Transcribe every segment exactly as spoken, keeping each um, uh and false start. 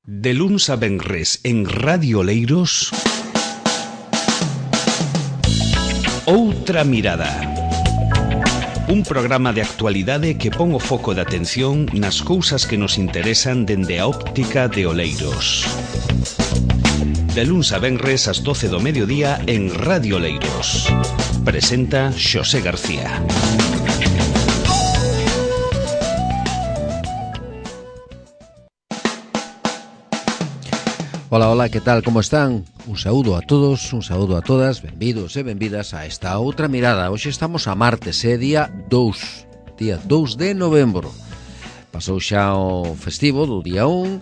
De luns a venres en Radio Oleiros, Outra Mirada. Un programa de actualidade que pon o foco de atención nas cousas que nos interesan dende a óptica de Oleiros. De luns a venres ás doce do mediodía en Radio Oleiros. Presenta Xosé García. Hola, hola, que tal, como están? Un saúdo a todos, un saúdo a todas, benvidos e benvidas a esta outra mirada. Hoxe estamos a martes, é día dous, día dous de novembro. Pasou xa o festivo do día un.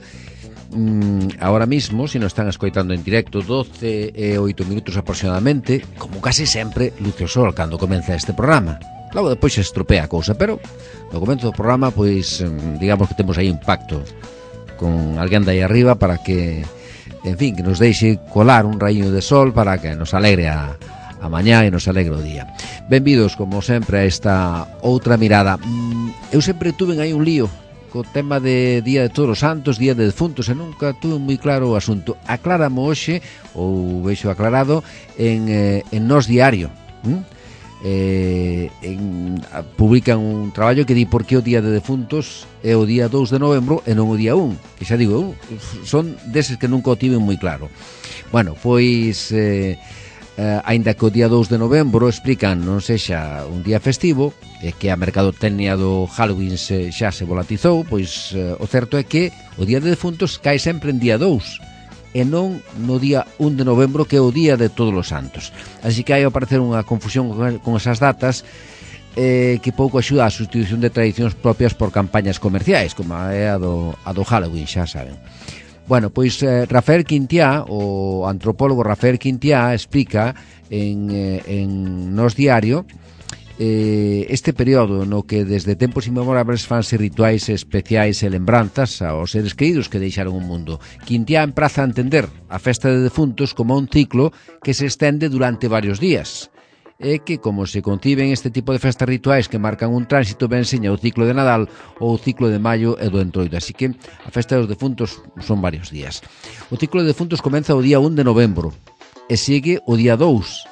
mm, Ahora mismo, se nos están escoitando en directo, doce e oito minutos aproximadamente, como casi sempre, luce o sol cando comeza este programa. Logo depois se estropea a cousa, pero no comezo do programa, pois, digamos que temos aí un pacto con alguén de aí arriba para que, en fin, que nos deixe colar un raíño de sol para que nos alegre a, a mañá e nos alegre o día. Benvidos, como sempre, a esta outra mirada. Eu sempre tuve aí un lío co tema de Día de Todos os Santos, Día de Defuntos, e nunca tuve moi claro o asunto. Acláramo hoxe, ou veixo aclarado, en, eh, en Nós Diario. ¿Mm? Eh, en, publican un traballo que di por que o Día de Defuntos é o día dous de novembro e non o día un, que xa digo eu, son deses que nunca o tiven moi claro. Bueno, pois eh, eh, aínda que o día dous de novembro explican non sexa un día festivo e que a mercadotecnia do Halloween se, xa se volatizou, pois eh, o certo é que o Día de Defuntos cae sempre en día dous e non no día un de novembro, que é o Día de Todos os Santos. Así que hai a aparecer unha confusión con esas datas eh, que pouco axuda a sustitución de tradicións propias por campañas comerciais, como é a do, a do Halloween, xa saben. Bueno, pois eh, Rafael Quintiá, o antropólogo Rafael Quintiá, explica en, eh, en Nós Diario eh, este período no que desde tempos inmemorables fanse rituais especiais e lembranzas aos seres queridos que deixaron o mundo. Quintiá empraza a entender a festa de defuntos como un ciclo que se estende durante varios días, e que, como se conciben este tipo de festas rituais que marcan un tránsito, ben seña o ciclo de Nadal ou o ciclo de Maio e do Entroido. Así que a festa dos defuntos son varios días. O ciclo de defuntos comeza o día un de novembro e sigue o día dous.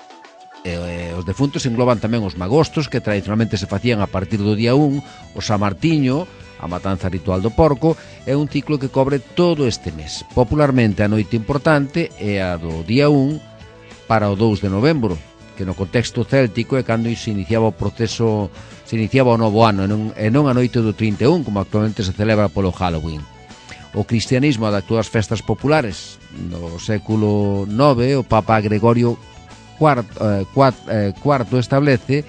E, e, os defuntos engloban tamén os magostos, que tradicionalmente se facían a partir do día un, o San Martiño, a matanza ritual do porco, é un ciclo que cobre todo este mes. Popularmente a noite importante é a do día un para o dous de novembro, que no contexto céltico é cando se iniciaba o proceso, se iniciaba o novo ano, e non, e non a noite do trinta e un, como actualmente se celebra polo Halloween. O cristianismo adaptou as festas populares. No século nove, o Papa Gregorio Cuarto, eh, cuarto, eh, cuarto establece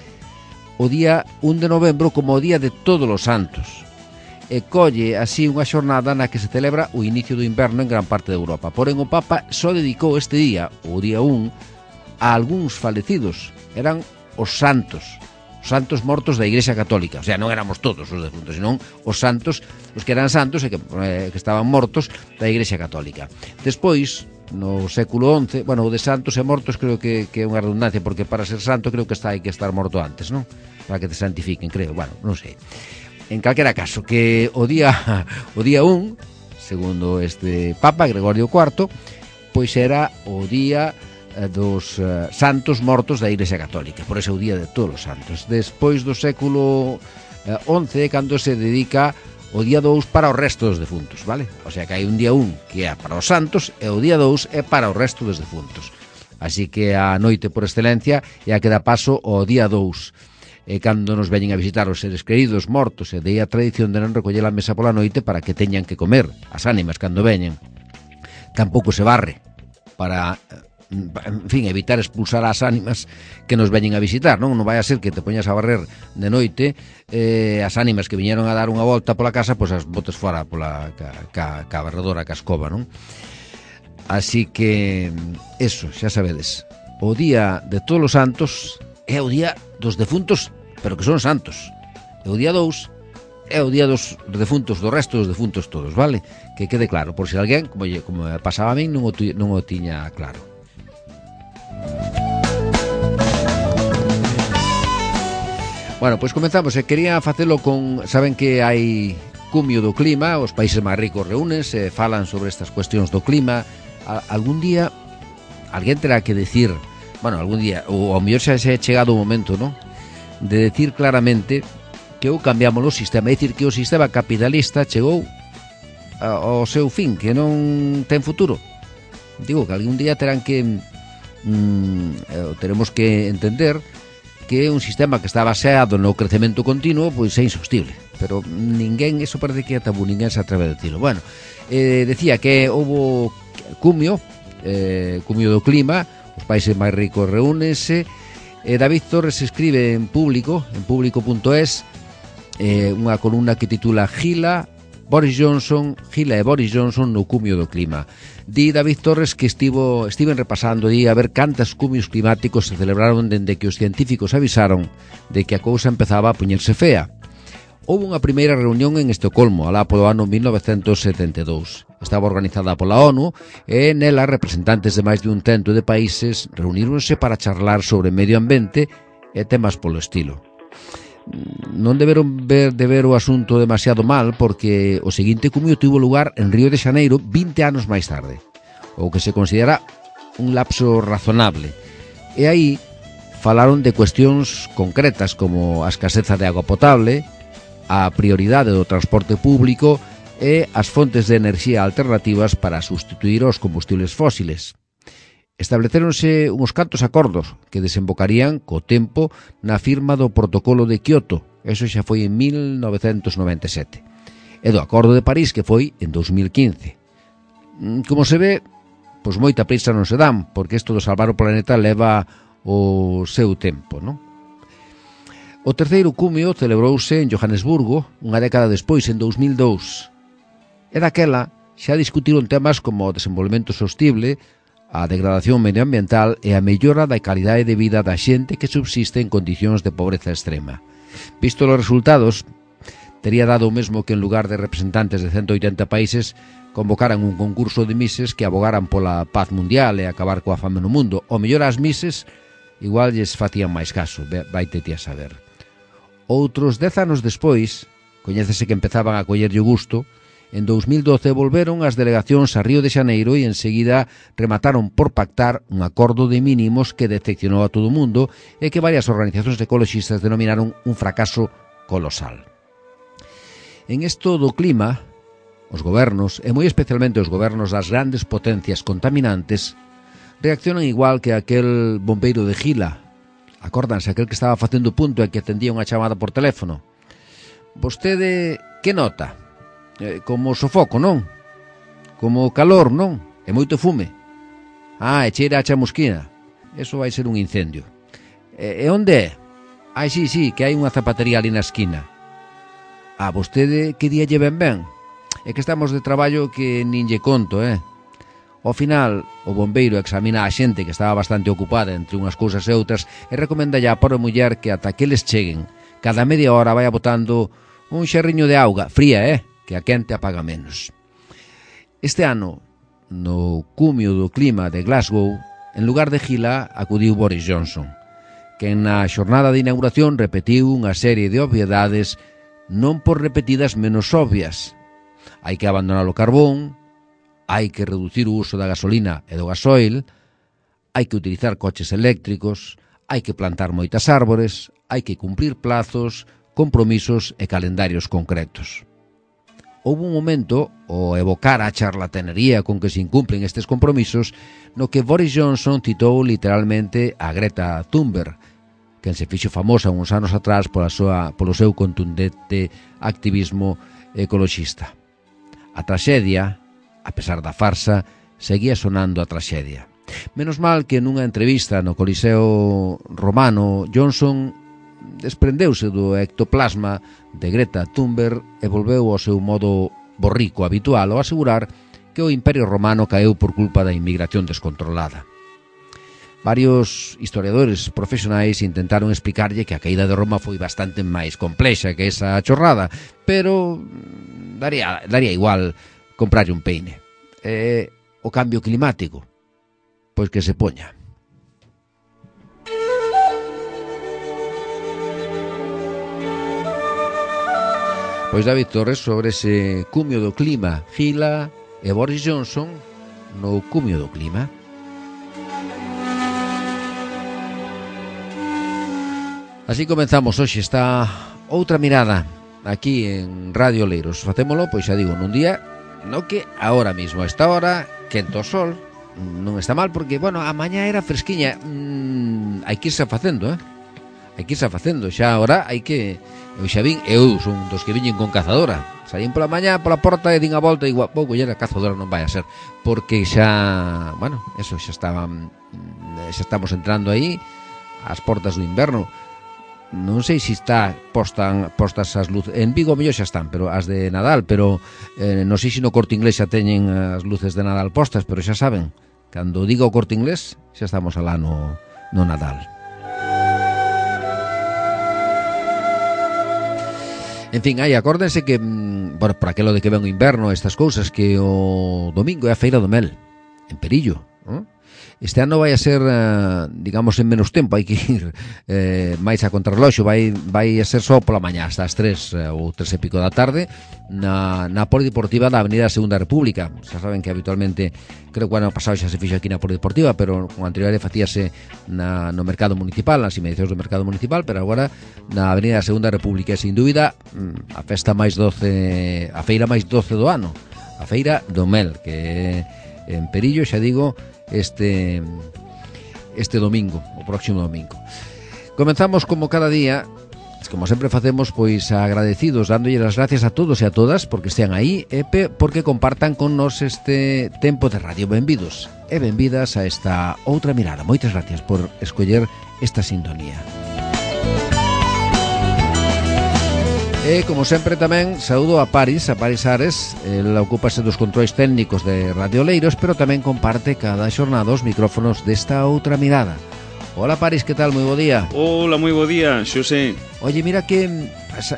o día un de novembro como o día de Todos os Santos e colle así unha xornada na que se celebra o inicio do inverno en gran parte de Europa. Porén, o Papa só dedicou este día, o día un, a algúns falecidos. Eran os santos, os santos mortos da Igrexa Católica. O sea, non éramos todos os defuntos, senón os santos, os que eran santos e que, eh, que estaban mortos da Igrexa Católica. Despois, no século once, bueno, o de santos e mortos creo que, que é unha redundancia, porque para ser santo creo que está hai que estar morto antes, non? Para que te santifiquen, creo, bueno, non sei. En calquera caso, que o día o día un, segundo este Papa Gregorio cuarto, pois era o día dos uh, santos mortos da Igrexa Católica, por ese o día de Todos os Santos. Despois do século uh, once, cando se dedica o día dous para o resto dos defuntos, vale? O sea que hai un día un que é para os santos e o día dous é para o resto dos defuntos. Así que a noite por excelencia é a que dá paso ao día dous. E cando nos veñen a visitar os seres queridos mortos, e de aí a tradición de non recoller a mesa pola noite para que teñan que comer as ánimas cando veñen. Tampouco se barre para, en fin, evitar expulsar as ánimas que nos veñen a visitar, non? Non vai a ser que te poñas a barrer de noite eh, as ánimas que viñeron a dar unha volta pola casa, pois as botes fora pola ca, ca, ca barredora, ca escoba, non? Así que, eso, xa sabedes, o día de Todos os Santos é o día dos defuntos, pero que son santos. E o día dous é o día dos defuntos, do resto dos defuntos todos, vale? Que quede claro, por se alguén, como, como pasaba a min, non o, non o tiña claro. Bueno, pois comenzamos, e quería facelo con... Saben que hai cumio do clima, os países máis ricos reúnense, falan sobre estas cuestións do clima. A, algún día alguén terá que decir, bueno, algún día, ou ao mellor xa se ha chegado o momento, non? De decir claramente que ou cambiamos o sistema, é dicir, que o sistema capitalista chegou ao seu fin, que non ten futuro. Digo que algún día terán que mm, teremos que entender que un sistema que está baseado no crecemento continuo pois é insostible, pero ninguén, eso parece que é tabú, ninguén se atreve a decirlo. Bueno, eh, decía que houbo cumio, eh, cumio do clima, os países máis ricos reúnense. eh, David Torres escribe en público, en público punto es, eh, unha columna que titula Gila, Boris Johnson, Gila e Boris Johnson no cumio do clima. Di David Torres que estivo estiven repasando di a ver cantas cumios climáticos se celebraron dende que os científicos avisaron de que a cousa empezaba a poñerse fea. Houve unha primeira reunión en Estocolmo, alá polo ano mil novecentos setenta e dous. Estaba organizada pola ONU e nela representantes de máis de un cento de países reuníronse para charlar sobre medio ambiente e temas polo estilo. Non deberon ver de ver o asunto demasiado mal, porque o seguinte cumio tivo lugar en Río de Xaneiro vinte anos máis tarde, o que se considera un lapso razonable. E aí falaron de cuestións concretas como a escaseza de agua potable, a prioridade do transporte público e as fontes de enerxía alternativas para sustituir os combustibles fósiles. Establecéronse uns cantos acordos que desembocarían co tempo na firma do protocolo de Kioto, eso xa foi en mil novecentos noventa e sete, e do acordo de París, que foi en dos mil quince. Como se ve, pois moita prisa non se dan, porque isto do salvar o planeta leva o seu tempo, non? O terceiro cumio celebrouse en Johannesburgo unha década despois, en dos mil dous. E daquela xa discutiron temas como o desenvolvemento sostible, a degradación medioambiental e a mellora da calidade de vida da xente que subsiste en condicións de pobreza extrema. Visto os resultados, tería dado o mesmo que en lugar de representantes de ciento oitenta países convocaran un concurso de mises que abogaran pola paz mundial e acabar coa fame no mundo. O mellor as mises igual lles facían máis caso, vaite ti a saber. Outros dez anos despois, coñécese que empezaban a collerlle o gusto. En dos mil doce volveron as delegacións a Río de Xaneiro e enseguida remataron por pactar un acordo de mínimos que decepcionou a todo o mundo e que varias organizacións ecoloxistas denominaron un fracaso colosal. En isto do clima, os gobernos, e moi especialmente os gobernos das grandes potencias contaminantes, reaccionan igual que aquel bombeiro de Gila. Acórdanse, aquel que estaba facendo punto e que atendía unha chamada por teléfono. Vostede, que nota? Eh, como sofoco, non? Como calor, non? E moito fume. Ah, e cheira a chamusquina. Eso vai ser un incendio. E, e onde é? Ai, sí, sí, que hai unha zapatería ali na esquina. Ah, vostede que día lle ven ben? É que estamos de traballo que nin lle conto, eh? Ao final, o bombeiro examina a xente que estaba bastante ocupada entre unhas cousas e outras e recomenda ya a pobre muller que ata que les cheguen, cada media hora vaya botando un xerriño de auga, fría, eh? Que a quente apaga menos. Este ano, no cumio do clima de Glasgow, en lugar de Gila, acudiu Boris Johnson, que na xornada de inauguración repetiu unha serie de obviedades non por repetidas menos obvias. Hai que abandonar o carbón, hai que reducir o uso da gasolina e do gasoil, hai que utilizar coches eléctricos, hai que plantar moitas árbores, hai que cumprir plazos, compromisos e calendarios concretos. Houve un momento, ao evocar a charlatanería con que se incumplen estes compromisos, no que Boris Johnson citou literalmente a Greta Thunberg, quen se fixo famosa uns anos atrás pola súa, polo seu contundente activismo ecoloxista. A traxedia, a pesar da farsa, seguía sonando a traxedia. Menos mal que nunha entrevista no Coliseo Romano, Johnson desprendeuse do ectoplasma de Greta Thunberg e volveu ao seu modo borrico habitual ao asegurar que o Imperio Romano caeu por culpa da inmigración descontrolada. Varios historiadores profesionais intentaron explicarlle que a caída de Roma foi bastante máis complexa que esa chorrada, pero daría, daría igual comprarlle un peine. E o cambio climático, pois que se poña. Pois David Torres sobre ese cumio do clima, Gila e Boris Johnson no cumio do clima. Así comenzamos hoxe esta outra mirada aquí en Radio Oleiros. Facémolo, pois xa digo, nun día no que agora mismo, a esta hora, quento o sol, non está mal porque, bueno, a mañá era fresquiña. Mm, hai que irse facendo, eh? Hai que irse facendo, xa agora hai que... Eu xa vin, eu son dos que viñen con cazadora. Saín pola mañá, pola porta e din a volta e digo, pouco, e a cazadora non vai a ser. Porque xa, bueno, eso, xa estaban, xa estamos entrando aí ás portas do inverno. Non sei se está postan, postas as luces. En Vigo mellor xa están, pero as de Nadal, pero eh, non sei se no Corte Inglés xa teñen as luces de Nadal postas, pero xa saben, cando diga o Corte Inglés xa estamos alá no, no Nadal. En fin, aí, acórdense que, bueno, por aquelo de que ven o inverno, estas cousas, que o domingo é a Feira do Mel, en Perillo, non? Este ano vai a ser, digamos, en menos tempo, hai que ir eh, máis a contrarreloxo, vai, vai a ser só pola mañá, hasta as tres ou tres e pico da tarde, na, na Polideportiva da Avenida Segunda República. Xa saben que habitualmente, creo que o ano pasado xa se fixo aquí na Polideportiva, pero con anterioridade facíase na, no Mercado Municipal, nas inmediacións do Mercado Municipal, pero agora na Avenida Segunda República, e sin dúbida a festa máis doce, a feira máis doce do ano, a Feira do Mel, que en Perillo, xa digo, este este domingo, o próximo domingo. Comenzamos como cada día, como sempre facemos, pois agradecidos, dándolle as gracias a todos e a todas porque estean aí e porque compartan con nos este tempo de radio. Benvidos e benvidas a esta outra mirada. Moitas gracias por escoller esta sintonía. E, como sempre, tamén saúdo a Paris, a Paris Ares. Ela ocúpase dos controis técnicos de Radio Oleiros, pero tamén comparte cada xornada os micrófonos desta outra mirada. Hola, Paris, que tal? Moi bo día. Hola, moi bo día, Xosé. Oye, mira que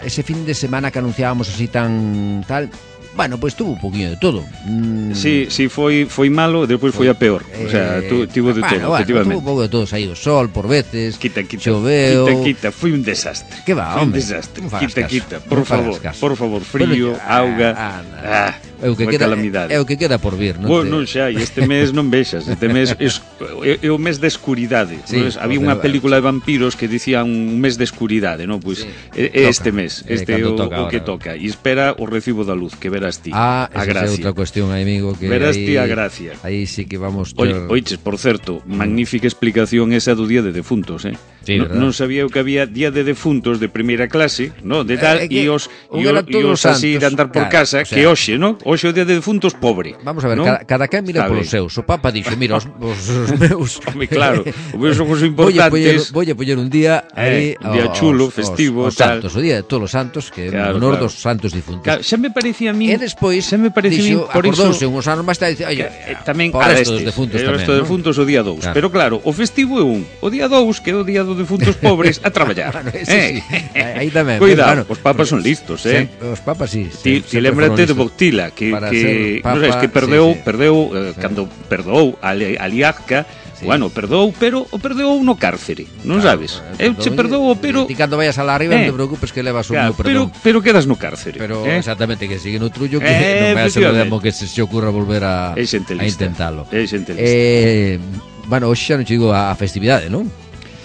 ese fin de semana que anunciábamos así tan tal... Bueno, pois pues, tuvo un poquinho de todo. Mm. Sí, sí, foi foi malo, despois foi a peor. Eh, o sea, tu, tivo de bueno, todo, bueno, efectivamente. Tuvo un pouco de todo, saiu o sol por veces. Quita, quita. Choveu. Quita, quita, foi un desastre. Que va, foi hombre. un desastre. Quita, caso. quita, por non favor, por favor, frío, bueno, auga. Ah, ah, é o que queda, é o que queda por vir, non? Bueno, non xa, este mes non vexas, este mes é, é o mes de escuridade. Sí, ¿no? Había unha película de vampiros que dicía un mes de escuridade, non? Pois pues, sí, é este mes, este é o, o que toca. E espera o recibo da luz, que verás ti. Ah, a gracia. É outra cuestión, amigo, que verás aí, ti a gracia. Aí sí que vamos ter... Oiches, por certo, magnífica explicación esa do Día de Defuntos, eh? Sí, no, non sabía eu que había Día de Defuntos de primeira clase, no, de tal, e eh, os e os así de andar por claro, casa, o sea, que hoxe, no? Hoxe o Día de Defuntos pobre. Vamos a ver, ¿no? cada, cada quen mira polos seus. O Papa dixo, mira, os, os, os meus... Home, claro, os meus son os importantes. Voy a poñer un día aí, eh, un día chulo, os, festivo, os, os tal. santos, o Día de todos os santos, que claro, en honor claro. dos santos difuntos. Claro, xa me parecía a mí... E despois, xa me parecía dixo, por acordouse iso... uns anos máis tarde, oye, eh, tamén por resto dos defuntos tamén, o resto dos defuntos o día dous. Claro. Pero claro, o festivo é un. O día dous, que é o día dos defuntos pobres, a traballar. Bueno, eh. sí. Aí tamén. Cuidado, bueno, os papas son listos, eh? Os papas sí. Ti, ti lembrate de Boctila, que, que papa, non sabes, que perdeu, sí, sí. perdeu eh, sí. Cando perdou a Liazca, sí. Bueno, perdou, pero o perdeu no cárcere, non claro, sabes? Eu che perdoo, pero... Ti cando vayas alá arriba eh, non te preocupes que levas un claro, perdón. Pero, pero quedas no cárcere. Pero eh? Exactamente, que sigue no trullo, que eh, non vai a ser o demo que se, se ocurra volver a, a intentalo. É xente lista. Eh, bueno, hoxe xa non che digo a festividade, non?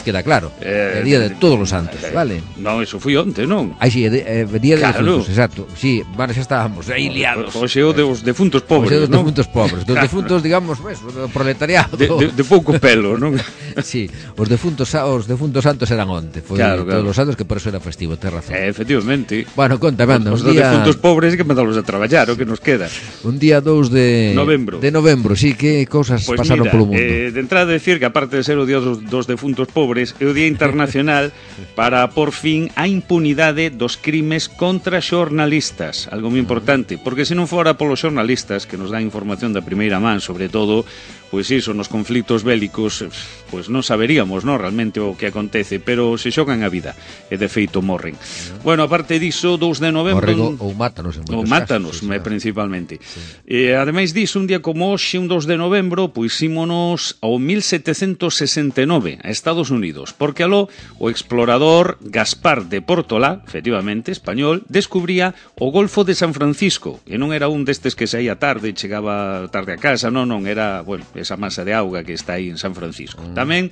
Queda claro, é eh, día de todos os santos, eh, vale? Non, eso foi onte, non? Aí si, é eh, día de claro. Defuntos, exacto. Si, sí, bueno, xa estábamos aí liados. Oxe o de os defuntos pobres, non? Oxe o dos ¿no? defuntos pobres, dos defuntos, digamos, pues, do proletariado. De, de, de pouco pelo, non? Si, sí, os defuntos os defuntos santos eran onte, foi claro, claro. Todos os santos, que por eso era festivo, tes razón. Eh, efectivamente. Bueno, contame, anda, os, os día... defuntos pobres que mandalos a traballar, o que nos queda. Un día dous de novembro. De novembro, si, sí, que cousas pues pasaron mira, polo mundo. Eh, de entrada decir que aparte de ser o día dos, dos defuntos pobres, é o día internacional para por fin a impunidade dos crimes contra xornalistas, algo moi importante, porque se non fora polos xornalistas que nos dan información da primeira man, sobre todo, pois iso, nos conflitos bélicos, pois non saberíamos, non, realmente o que acontece, pero se xogan a vida e de feito morren. Bueno, aparte diso, dous de novembro... Morren ou mátanos en moitos casos. Ou mátanos, sí, principalmente. Sí. E, ademais diso, un día como hoxe, un dos de novembro, pois ímonos ao mil setecentos sesenta e nove, a Estados Unidos. Unidos, porque aló o explorador Gaspar de Portolá, efectivamente, español, descubría o Golfo de San Francisco, e non era un destes que saía tarde e chegaba tarde a casa, non, non, era, bueno, esa masa de auga que está aí en San Francisco. Mm. Tamén,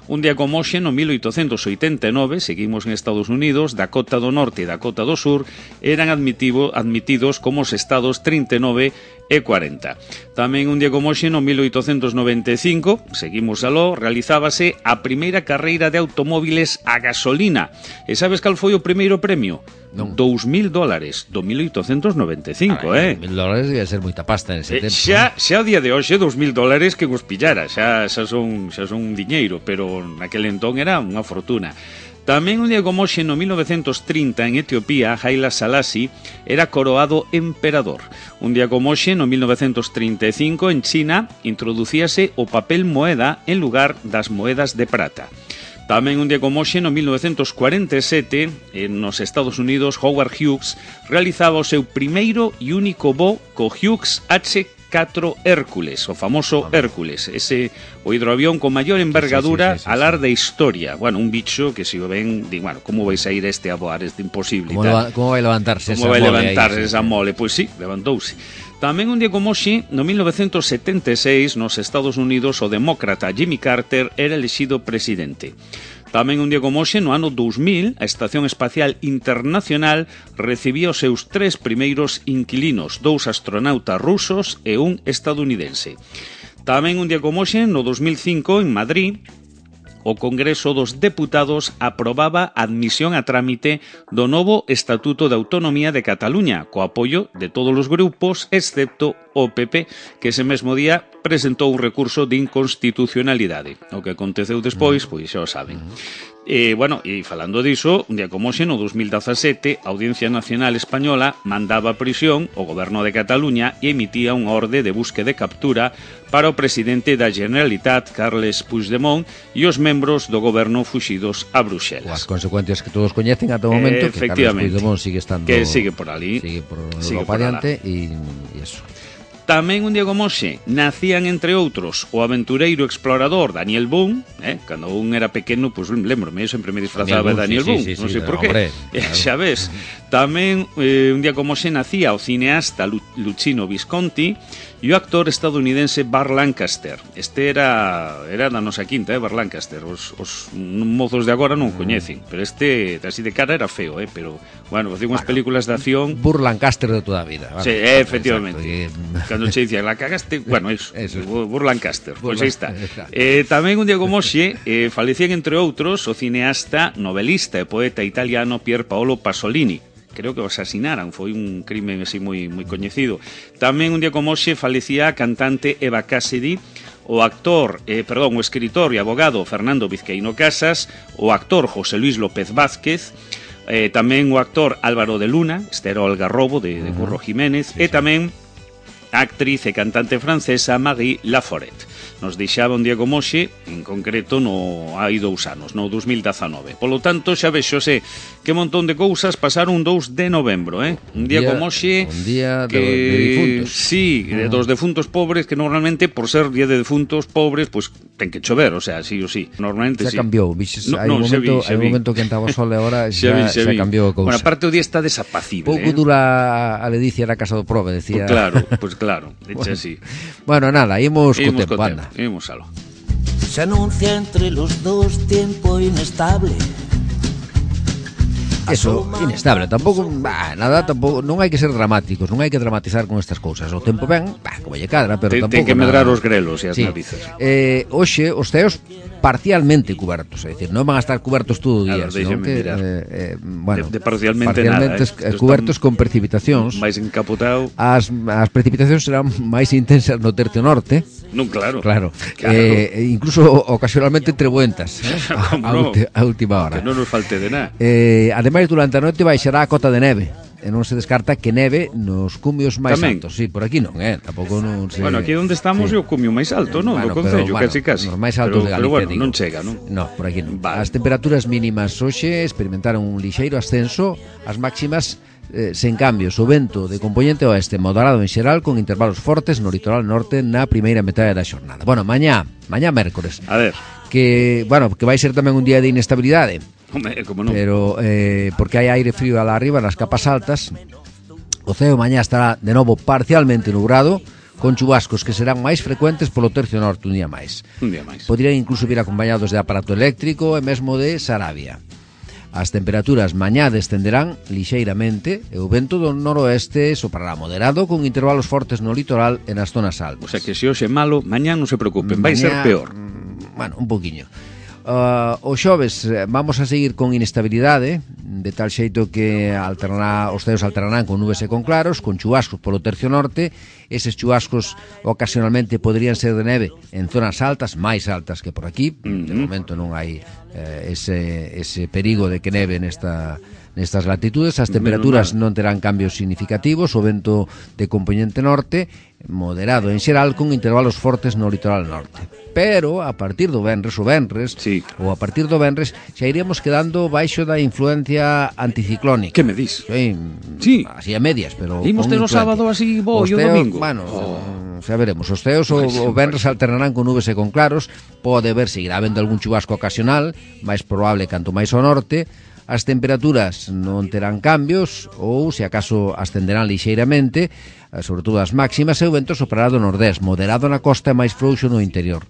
un día como hoxe, no mil oitocentos oitenta e nove, seguimos en Estados Unidos, Dakota do Norte e Dakota do Sur eran admitivo, admitidos como os estados trinta e nove e cuarenta. Tamén un día como hoxe, no mil oitocentos noventa e cinco, seguimos aló, realizábase a primeira carreira de automóviles a gasolina. E sabes cal foi o primeiro premio? Non. Dous mil dólares do mil oitocentos noventa e cinco, eh? Mil dólares debe ser moita pasta nese eh, tempo. Xa, xa o día de hoxe, dous mil dólares que vos pillara, xa, xa, son, xa son un diñeiro, pero naquele entón era unha fortuna. Tamén un día como hoxe, no mil novecentos trinta, en Etiopía, Haile Selassie era coroado emperador. Un día como hoxe, no mil novecentos trinta e cinco, en China, introducíase o papel moeda en lugar das moedas de prata. Tamén un día como hoxe, no mil novecentos cuarenta e sete, nos Estados Unidos, Howard Hughes realizaba o seu primeiro e único voo co Hughes H catro Hércules, o famoso Hércules, ese o hidroavión con maior envergadura sí, sí, sí, sí, alar da historia. Bueno, un bicho que se o ven, di, bueno, como vais a ir este a voar, este imposible. Como, leva, como vai levantarse como esa vai mole levantarse aí, esa sí. mole? Pois sí, levantouse. Tamén un día como hoxe, no mil novecentos setenta e seis, nos Estados Unidos, o demócrata Jimmy Carter era elexido presidente. Tamén un día como hoxe, no ano dous mil, a Estación Espacial Internacional recibía os seus tres primeiros inquilinos, dous astronautas rusos e un estadounidense. Tamén un día como hoxe, no dos mil cinco, en Madrid, o Congreso dos Deputados aprobaba a admisión a trámite do novo Estatuto de Autonomía de Cataluña, co apoio de todos os grupos, excepto o P P, que ese mesmo día presentou un recurso de inconstitucionalidade. O que aconteceu despois, pois xa o saben. E, bueno, e falando diso, un día como hoxe, no dos mil dezasete, a Audiencia Nacional Española mandaba a prisión o Goberno de Cataluña e emitía unha orde de búsqueda e captura para o presidente da Generalitat, Carles Puigdemont, e os membros do goberno fuxidos a Bruxelas. As consecuencias que todos coñecen ata o momento, que Carles Puigdemont sigue estando... Que sigue por ali. Sigue por Europa adiante e iso. Tamén un día como hoxe nacían, entre outros, o aventureiro explorador Daniel Boone, eh? Cando un era pequeno, pois pues, lembrome, eu sempre me disfrazaba de Daniel Boone, sí, sí, sí, non sei sí, por qué, hombre, claro. Xa ves. Tamén eh, un día como hoxe nacía o cineasta Luchino Visconti e o actor estadounidense Burt Lancaster. Este era era da nosa quinta, eh, Burt Lancaster. Os, os mozos de agora non coñecen, pero este, así de cara, era feo, eh, pero, bueno, facía unhas bueno, películas de acción... Burt Lancaster de toda a vida. Vale. Sí, eh, efectivamente. Exacto. Cando che dicía, la cagaste, bueno, eso, eso. Burt Lancaster, pois pues aí está. Eh, tamén un día como hoxe, eh, falecían, entre outros, o cineasta, novelista e poeta italiano Pier Paolo Pasolini. Creo que o asasinaran, foi un crimen así moi moi coñecido. Tamén un día como hoxe falecía a cantante Eva Cassidy, o actor, eh, perdón, o escritor e abogado Fernando Vizcaíno Casas, o actor José Luis López Vázquez, eh, tamén o actor Álvaro de Luna, este era o Algarrobo de, de Curro Jiménez, sí, e tamén a actriz e cantante francesa Marie Laforet. Nos deixaba un día como hoxe, en concreto no hai dous anos, no dos mil dezanove. Polo tanto, xa vexo se que montón de cousas pasaron un dous de novembro, eh? Un día, día como hoxe... Un día que, de, de difuntos. Sí, uh-huh. dos defuntos pobres, que normalmente, por ser día de defuntos pobres, pues ten que chover, o sea, sí ou sí. Normalmente xa sí. cambiou, vixes, no, hai no, un momento, vi, hai un momento que entaba o sol e agora xa, vi, xa, xa cambiou a cousa. Bueno, aparte o día está desapacible. Pouco eh? dura a ledicia na casa do prove, decía. Pues claro, pues claro, echa así. Bueno, nada, imos co imos tempo, co anda. Imos alo. Se anuncia entre los dos tiempo inestable. Eso, inestable, tampouco, bah, nada, tampouco, non hai que ser dramáticos, non hai que dramatizar con estas cousas. O tempo ben, bah, como lle cadra, pero ten, tampouco ten que medrar nada. Os grelos e as sí. narices. Eh, hoxe, os ceos parcialmente cubertos, é dicir, non van a estar cubertos todo o día, ver, senón que, eh, eh, bueno, de, de parcialmente, parcialmente nada, eh? cubertos con precipitacións. máis encapotado. As, as precipitacións serán máis intensas no tercio norte. Non, claro. Claro. claro. Eh, incluso ocasionalmente trebuentas, eh? a, a, no? ulti, a última hora. Que non nos falte de nada. Eh, ademais, durante a noite baixará a cota de neve. E non se descarta que neve nos cumios máis Tamén. altos. Sí, por aquí non, eh? Tampouco non se... Bueno, aquí onde estamos sí. é o cumio máis alto, non? Bueno, do concello, bueno, casi casi. Nos máis altos pero, de Galicia, pero bueno, digo. non chega, non? No, por aquí non. Vale. As temperaturas mínimas hoxe experimentaron un lixeiro ascenso, as máximas eh, sen cambios. O vento de componente oeste moderado en xeral, con intervalos fortes no litoral norte na primeira metade da xornada. Bueno, mañá, mañá mércores. A ver. que, bueno, que vai ser tamén un día de inestabilidade. Home, como non. Pero eh, porque hai aire frío alá arriba nas capas altas. O ceo mañá estará de novo parcialmente nubrado, con chubascos que serán máis frecuentes polo tercio norte un día máis. Un día máis. Poderían incluso vir acompañados de aparato eléctrico e mesmo de Sarabia. As temperaturas mañá descenderán lixeiramente e o vento do noroeste soprará moderado con intervalos fortes no litoral e nas zonas altas. O sea que se hoxe é malo, mañá non se preocupen, vai Mañá, ser peor. Bueno, un poquinho. Uh, o xoves vamos a seguir con inestabilidade, de tal xeito que alternará, os ceos alternarán con nubes e con claros, con chubascos polo tercio norte. Eses chubascos ocasionalmente poderían ser de neve en zonas altas, máis altas que por aquí. Uh-huh. De momento non hai eh, ese, ese perigo de que neve nesta, nestas latitudes. As temperaturas non terán cambios significativos, o vento de componente norte moderado en xeral, con intervalos fortes no litoral norte. Pero a partir do venres, o venres, sí. ou a partir do venres, xa iríamos quedando baixo da influencia anticiclónica. Que me dis? Sí, sí. Así a medias, pero imos ter o sábado así bo e o domingo. Bueno, oh. xa veremos. Os ceos o, o venres alternarán con nubes e con claros. Pode ver, seguirá habendo algún chubasco ocasional, máis probable canto máis ao norte. As temperaturas non terán cambios, ou se acaso ascenderán lixeiramente, sobre todo as máximas, e o vento soprará do nordés, moderado na costa e máis frouxo no interior.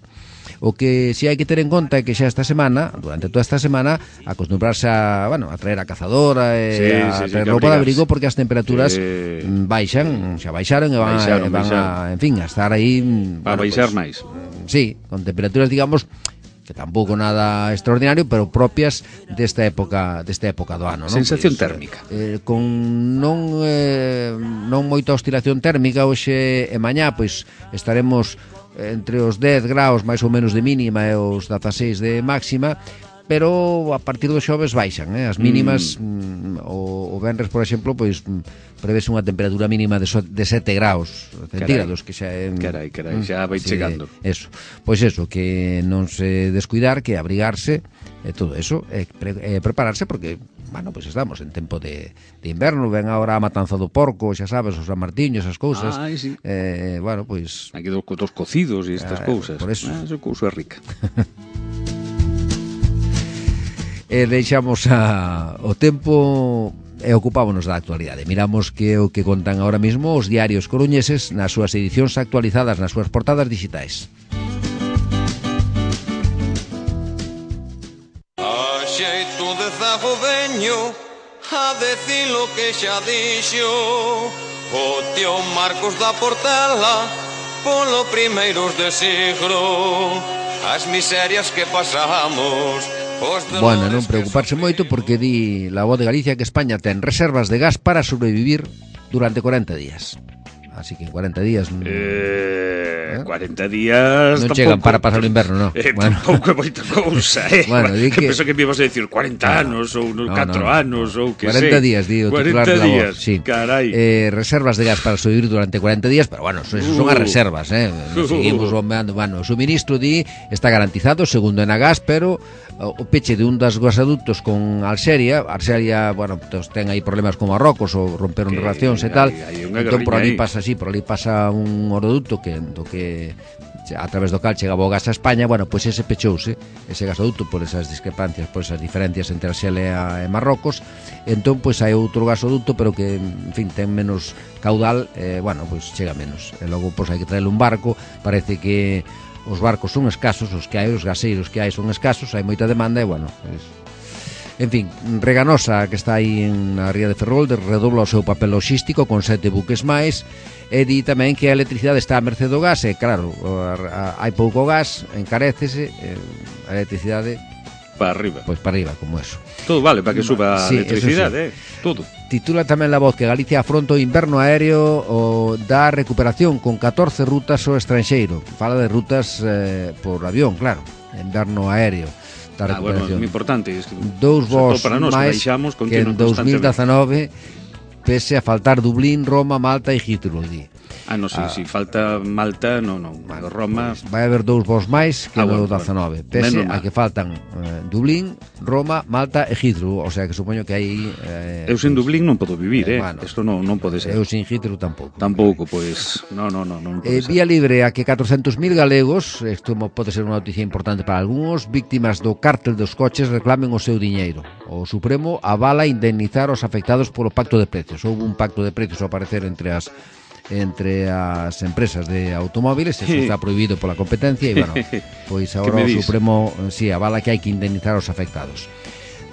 O que si hai que ter en conta é que xa esta semana, durante toda esta semana, acostumbrarse a, bueno, a traer a cazadora e sí, a sí, traer sí, roupa de abrigo, porque as temperaturas sí. baixan, xa baixaron e van, baixaron, a, van a, en fin, a estar aí, a bueno, baixar pues, máis. Sí, con temperaturas, digamos, que tampouco nada extraordinario, pero propias desta época, desta época do ano, non? Sensación Pois, térmica. Eh, con non eh, non moita oscilación térmica hoxe e mañá, pois estaremos entre os dez graus máis ou menos de mínima e os dezaseis de máxima, pero a partir do xoves baixan, eh? As mínimas mm. mm, o, o venres, por exemplo, pois prevese unha temperatura mínima de, so, de sete graus centígrados, que xa é, carai, carai, xa vai sí, chegando. Eso. Pois eso, que non se descuidar, que abrigarse e todo eso, e, pre, e prepararse, porque bueno, pois estamos en tempo de, de inverno, ven agora a matanza do porco, xa sabes, os San Martiño, esas cousas. Ai, sí. Eh, bueno, pois aquí dos, dos cocidos e estas eh, cousas. Por eso. Ah, esa cousa é rica. E deixamos a, o tempo e ocupámonos da actualidade. Miramos que o que contan ahora mismo os diarios coruñeses nas súas edicións actualizadas nas súas portadas digitais. A xeito de zago veño a decir lo que xa dixo o tío Marcos da Portela polo primeiros de siglo, as miserias que pasamos. Bueno, non preocuparse moito, porque di La Voz de Galicia que España ten reservas de gas para sobrevivir durante corenta días. Así que en cuarenta días... Eh, cuarenta días... Non chegan para pasar o inverno, non? Eh, bueno. Tampouco é moita cousa, eh? Bueno, di que... Penso que me ibas a decir cuarenta no, anos ou no, catro no, no. anos ou que cuarenta sei. días, di o titular cuarenta de La días, Voz. Sí. Carai. Eh, reservas de gas para sobrevivir durante cuarenta días, pero bueno, eso, eso uh. son as reservas, eh? Uh. Seguimos bombeando. Bueno, o suministro di está garantizado, segundo Enagas, pero o peche de un dos gasoductos con Alxeria, Alxeria, bueno, pues, ten aí problemas con Marrocos ou romperon que relacións e tal. Hay, hay entón por ali pasa así, por ali pasa un oroducto que do que a través do cal chegaba o gas a España. Bueno, pois pues ese pechouse, ese gasoducto, por esas discrepancias, por esas diferencias entre Alxeria e Marrocos. Entón, pois pues, hai outro gasoducto, pero que, en fin, ten menos caudal, eh, bueno, pois pues, chega menos. E logo, pois pues, hai que traer un barco. Parece que os barcos son escasos, os que hai, os gaseiros que hai son escasos, hai moita demanda e, bueno, pues, en fin, Reganosa, que está aí na ría de Ferrol, redobla o seu papel logístico con sete buques máis, e di tamén que a electricidade está a merced do gas, e claro, hai pouco gas, encarécese, a electricidade para arriba. Pois para arriba, como eso. Todo vale para que suba a sí, electricidade, sí. eh, todo. Titula tamén La Voz que Galicia afronta o inverno aéreo o da recuperación con catorce rutas ao estranxeiro. Fala de rutas eh, por avión, claro, inverno aéreo. Ah, bueno, é moi importante. Es que dous voos máis que en dous mil dezanove, pese a faltar Dublín, Roma, Malta e Heathrow. Ah, non, si, Ah, si falta Malta, non, non, Vale, Roma... Pois vai haber dous voos máis que Ah, no bueno, dezanove, bueno. pese Menos a mal. que faltan eh, Dublín, Roma, Malta e Heathrow, o sea que supoño que aí eh, Eu sen pois, Dublín non podo vivir, eh, eh? bueno. Isto non, non pode ser. eu sin Heathrow tampouco. Tampouco, pois, non, non, non, non Eh, pode ser. vía libre a que catrocentos mil galegos, isto mo- pode ser unha noticia importante para algúns, víctimas do cártel dos coches reclamen o seu diñeiro. O Supremo avala indemnizar os afectados polo pacto de precios. Houve un pacto de precios ao parecer entre as entre as empresas de automóviles, eso está prohibido pola competencia e, bueno, pois agora o me dis? Supremo si sí, avala que hai que indemnizar os afectados.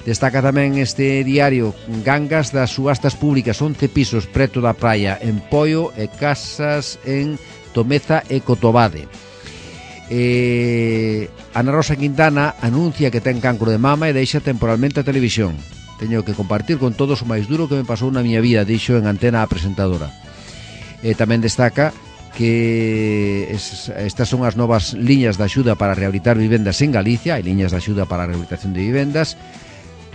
Destaca tamén este diario gangas das subastas públicas, once pisos preto da praia en Poio e casas en Tomeza e Cotobade. Eh, Ana Rosa Quintana anuncia que ten cancro de mama e deixa temporalmente a televisión. Teño que compartir con todos o máis duro que me pasou na miña vida, dixo en antena a presentadora. E tamén destaca que es, estas son as novas liñas de axuda para rehabilitar vivendas en Galicia, hai liñas de axuda para a rehabilitación de vivendas.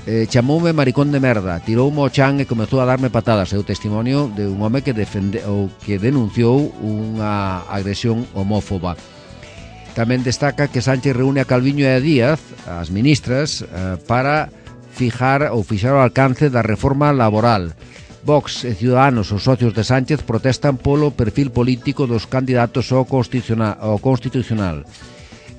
Eh, chamoume maricón de merda, tiroume o chan e comezou a darme patadas. É o testimonio de un home que defende ou que denunciou unha agresión homófoba. Tamén destaca que Sánchez reúne a Calviño e a Díaz, as ministras, eh, para fijar ou fixar o alcance da reforma laboral. Vox e Ciudadanos, os socios de Sánchez, protestan polo perfil político dos candidatos ao constitucional. Ao constitucional.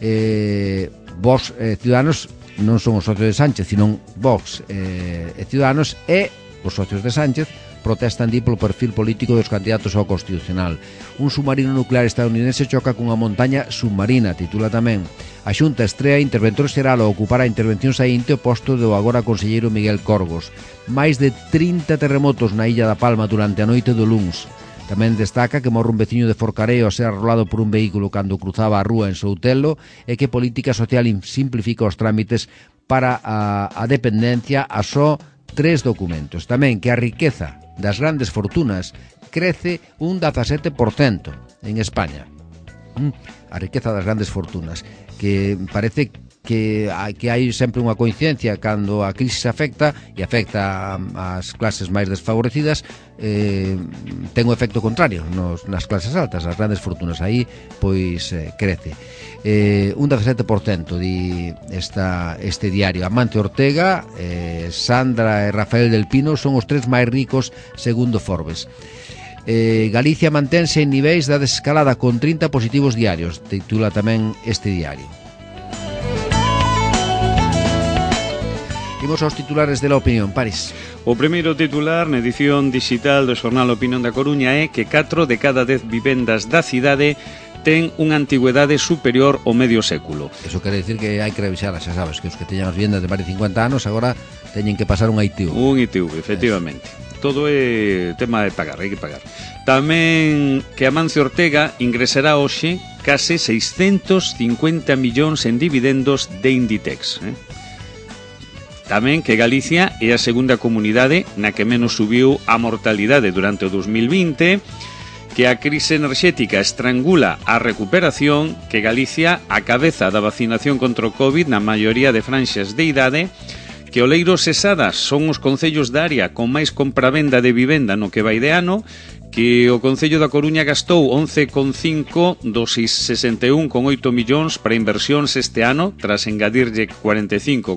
Eh, Vox e Ciudadanos non son os socios de Sánchez, sino Vox eh, e Ciudadanos e os socios de Sánchez protestan di polo perfil político dos candidatos ao constitucional. Un submarino nuclear estadounidense choca cunha montaña submarina, titula tamén. A Xunta estrea interventor xeral ao ocupar a intervención saínte o posto do agora conselleiro Miguel Corgos. Máis de trinta terremotos na Illa da Palma durante a noite do luns. Tamén destaca que morre un veciño de Forcareo a ser arrolado por un vehículo cando cruzaba a rúa en Soutelo e que Política Social simplifica os trámites para a, a dependencia a só tres documentos. Tamén que a riqueza das grandes fortunas crece un dezasete por cento en España. A riqueza das grandes fortunas, que parece que hai, que hai sempre unha coincidencia cando a crisis afecta e afecta ás clases máis desfavorecidas, eh, ten o efecto contrario nos, nas clases altas, as grandes fortunas aí pois eh, crece eh, un dezasete por cento di esta, este diario. Amancio Ortega, eh, Sandra e Rafael del Pino son os tres máis ricos segundo Forbes. Eh, Galicia mantense en niveis da desescalada con trinta positivos diarios, titula tamén este diario. Imos aos titulares de la opinión, París. O primeiro titular na edición digital do xornal Opinión da Coruña é que catro de cada dez vivendas da cidade ten unha antigüedade superior ao medio século. Eso quere decir que hai que revisarlas, xa sabes, que os que teñan as vivendas de máis de cincuenta anos agora teñen que pasar un I T U. Un I T U, efectivamente. Eso. Todo é tema de pagar, hai que pagar. Tamén que Amancio Ortega ingresará hoxe case seiscentos cincuenta millóns en dividendos de Inditex. Eh? Tamén que Galicia é a segunda comunidade na que menos subiu a mortalidade durante o dos mil vinte, que a crise enerxética estrangula a recuperación, que Galicia a cabeza da vacinación contra o COVID na maioría de franxas de idade, que Oleiros e Sada son os concellos da área con máis compravenda de vivenda no que vai de ano, que o Concello da Coruña gastou once coma cinco dos sesenta e un coma oito millóns para inversións este ano, tras engadirlle cuarenta e cinco,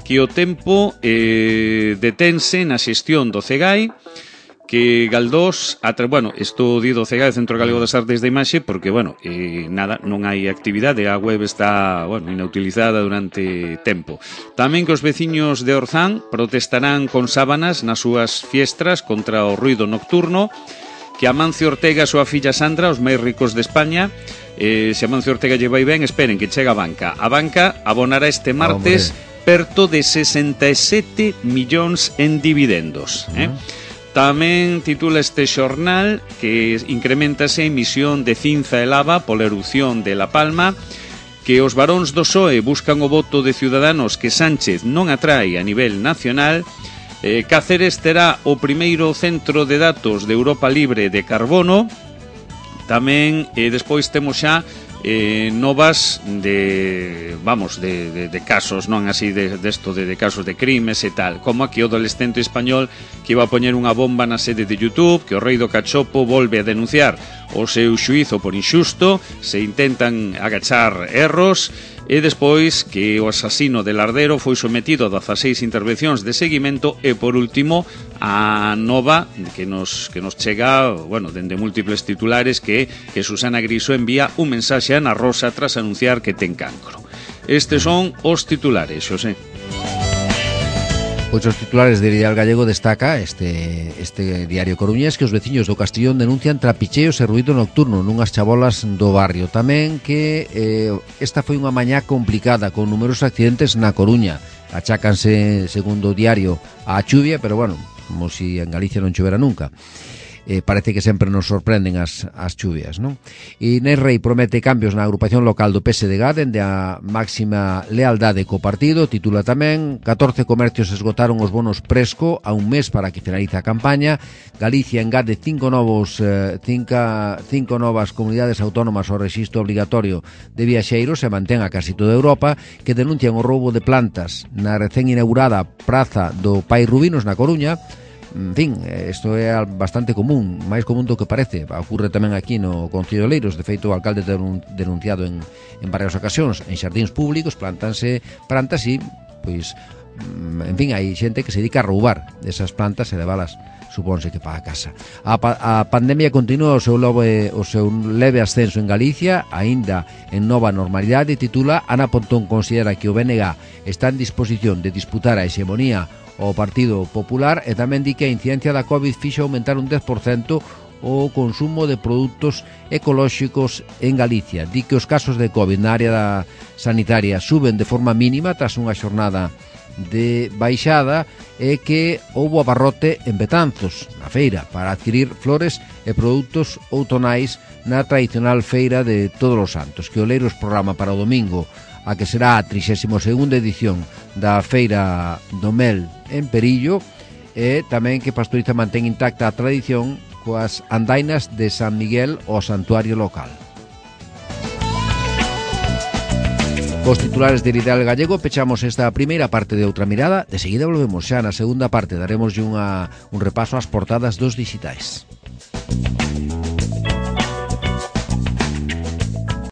que o tempo eh, detense na xestión do CEGAI, que Galdós, atra, bueno, isto di do CEGAI, Centro Galego das Artes de Imaxe, porque, bueno, eh, nada, non hai actividade, a web está, bueno, inutilizada durante tempo. Tamén que os veciños de Orzán protestarán con sábanas nas súas fiestras contra o ruido nocturno, que Amancio Ortega e a súa filla Sandra, os máis ricos de España, eh, se Amancio Ortega lle vai ben, esperen que chega a banca. A banca abonará este martes perto de sesenta e sete millóns en dividendos, eh? Uh-huh. Tamén titula este xornal que incrementase a emisión de cinza e lava pola erupción de La Palma, que os varóns do P S O E buscan o voto de Ciudadanos que Sánchez non atrae a nivel nacional. eh, Cáceres terá o primeiro centro de datos de Europa libre de carbono. Tamén, eh, despois temos xa eh, novas de, vamos, de, de, de casos, non así de, de esto, de, de casos de crimes e tal, como aquí o adolescente español que iba a poñer unha bomba na sede de YouTube, que o rei do cachopo volve a denunciar o seu xuízo por inxusto, se intentan agachar erros, e despois que o asasino de Lardero foi sometido a dezaseis intervencións de seguimento, e por último a nova que nos, que nos chega, bueno, dende múltiples titulares, que, que Susana Griso envía un mensaxe a Ana Rosa tras anunciar que ten cancro. Estes son os titulares, Xosé. Pois os titulares de Ideal Gallego destaca este, este diario coruñés que os veciños do Castellón denuncian trapicheos e ruído nocturno nunhas chabolas do barrio. Tamén que eh, esta foi unha mañá complicada con numerosos accidentes na Coruña. Achácanse, segundo o diario, á chuvia, pero bueno, como si en Galicia non chovera nunca. Eh, parece que sempre nos sorprenden as, as chuvias, non? E Inés Rei promete cambios na agrupación local do P S D G dende a máxima lealdade co partido. Titula tamén: catorce comercios esgotaron os bonos Presco a un mes para que finalice a campaña. Galicia engade cinco novos eh, cinco, cinco novas comunidades autónomas ao rexistro obligatorio de viaxeiros e mantén a casi toda Europa, que denuncian o roubo de plantas na recén inaugurada Praza do Pai Rubinos na Coruña. En fin, isto é bastante común, máis común do que parece. Ocurre tamén aquí no Concello de Oleiros. De feito, o alcalde denunciado en, en varias ocasións. En xardíns públicos plantanse plantas e, pois, en fin, hai xente que se dedica a roubar esas plantas e levalas, supónse que para a casa. A, pa, a pandemia continúa o seu, leve, o seu leve ascenso en Galicia, aínda en nova normalidade. Titula: Ana Pontón considera que o B N G está en disposición de disputar a hexemonía o Partido Popular, e tamén di que a incidencia da COVID fixo aumentar un dez por cento o consumo de produtos ecolóxicos en Galicia. Di que os casos de COVID na área da sanitaria suben de forma mínima tras unha xornada de baixada, e que houbo abarrote en Betanzos, na feira, para adquirir flores e produtos outonais na tradicional feira de Todos os Santos, que Oleiros programa para o domingo a que será a trixésima segunda edición da Feira do Mel en Perillo, e tamén que Pastoriza mantén intacta a tradición coas andainas de San Miguel ao santuario local. Cos titulares de Ideal Gallego pechamos esta primeira parte de Outra Mirada. De seguida volvemos xa na segunda parte, daremos unha, un repaso ás portadas dos digitais.